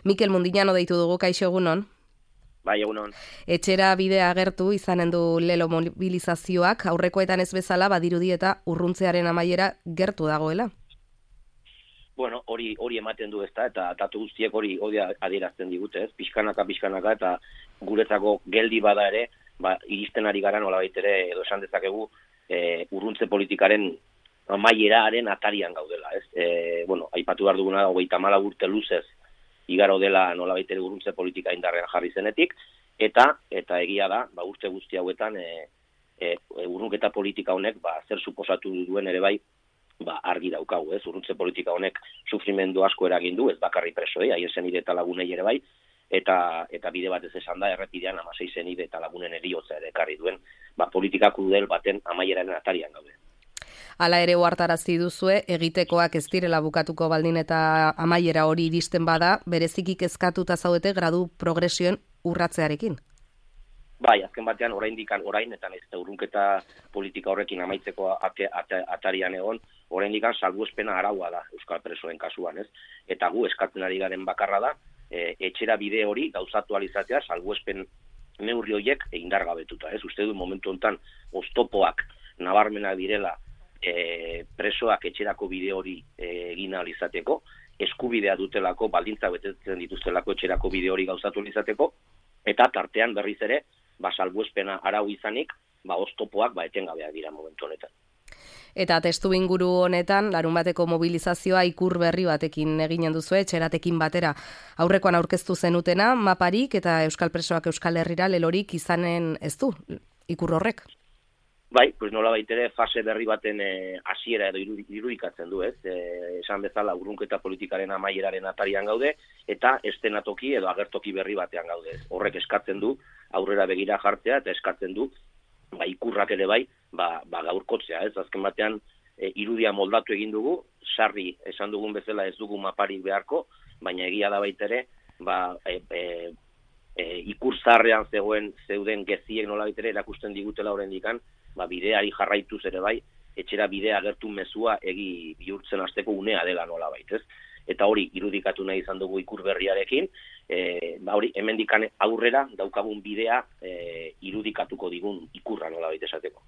Mikel Mundiñano deitu dugu, kaixo egunon. Bai, egunon. Etxera bidea agertu izanen du lelo mobilizazioak, aurrekoetan ez bezala badirudi eta urruntzearen amaiera gertu dagoela. Bueno, hori ematen du ezta, eta datu guztiek hori adierazten digute, ez? Pixkanaka, eta guretzako geldi bada ere, iristen ari gara nolabait ere, edo esan dezakegu, urruntze politikaren amaieraaren atarian gaudela, ez? Aipatu behar duguna, 34 urte luzez igaro dela nolabait ere urruntze politika indarrean jarri zenetik, eta egia da, urte guzti hauetan urrunketa politika honek zer suposatu duen ere bai, argi daukagu, ez? Urruntze politika honek sufrimendu asko eragin du, ez bakarri presoei, haien senide eta lagunei ere bai, eta bide batez esan da, errepidean 16 senide eta lagunen heriotza ere ekarri duen, politika krudel baten amaieraren atarian gaude. Hala ere ohartarazi duzue, egitekoak ez direla bukatuko baldin eta amaiera hori iristen bada, bereziki kezkatuta zaudete gradu progresioen urratzearekin. Bai, azken batean orain eta ez urrunketa politika horrekin amaitzeko atarian egon, orain salbuespena araua da euskal presoen kasuan, ez? Eta gu eskatzen ari garen bakarra da, etxera bide hori gauzatu alizatea salbuespen neurri horiek indargabetuta, ez? Uste du momentu honetan oztopoak nabarmenak direla presoak etxerako bide hori egin alizateko, eskubidea dutelako, baldintza betetzen dituztelako etxerako bide hori gauzatu alizateko, eta tartean berriz ere, salbuespena arau izanik, oztopoak etengabeak dira momentu honetan. Eta testu inguru honetan, larunbateko mobilizazioa ikur berri batekin eginen duzu, etxeratekin batera. Aurrekoan aurkeztu zenutena, maparik eta euskal presoak Euskal Herrira lelorik izanen ez du, ikur horrek? Bai, nola baitere fase berri baten hasiera edo irudikatzen du, ez? Esan bezala urrunketa politikaren amaieraren atarian gaude, eta estenatoki edo agertoki berri batean gaude. Horrek eskatzen du, aurrera begira jartzea, eta eskatzen du, ikurrak ere bai, gaurkotzea, ez? Azken batean, irudia moldatu egin dugu, sarri esan dugun bezala ez dugu maparik beharko, baina egia da baitere, ikur zarrean zeuden geziek nola baitere erakusten digutela horrendikan, bideari jarraituz ere bai, etxera bidea agertu mezua egi bihurtzen hasteko unea dela nola baitez. Eta hori irudikatu nahi izan dugu ikur berriarekin, hori hemendikan aurrera daukagun bidea irudikatuko digun ikurra nola esateko.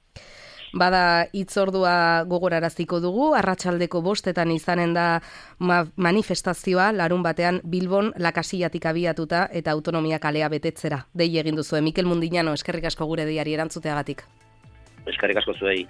Bada hitzordua gogoraraziko dugu, arratsaldeko 5 izanen da manifestazioa, larun batean Bilbon Lakasillatik abiatuta eta Autonomia kalea betetzera. Dei egin duzue, Mikel Mundiñano, eskerrik asko gure deiari erantzuteagatik. Eskerrik asko zuei.